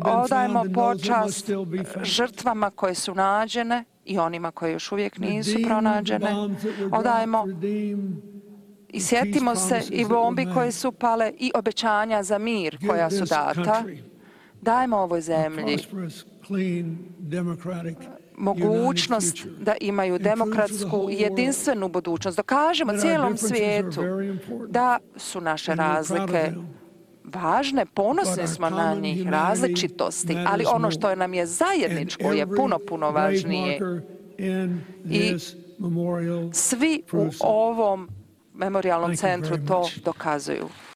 Odajemo počast žrtvama koje su nađene i onima koje još uvijek nisu pronađene. Odajemo i sjetimo se i bombi koje su pale i obećanja za mir koja su data. Dajmo ovoj zemlji mogućnost da imaju demokratsku i jedinstvenu budućnost. Dokažemo cijelom svijetu da su naše razlike važne, ponosni smo na njih, različitosti, ali ono što nam je zajedničko je puno, puno važnije. I svi u ovom memorijalnom centru to dokazuju.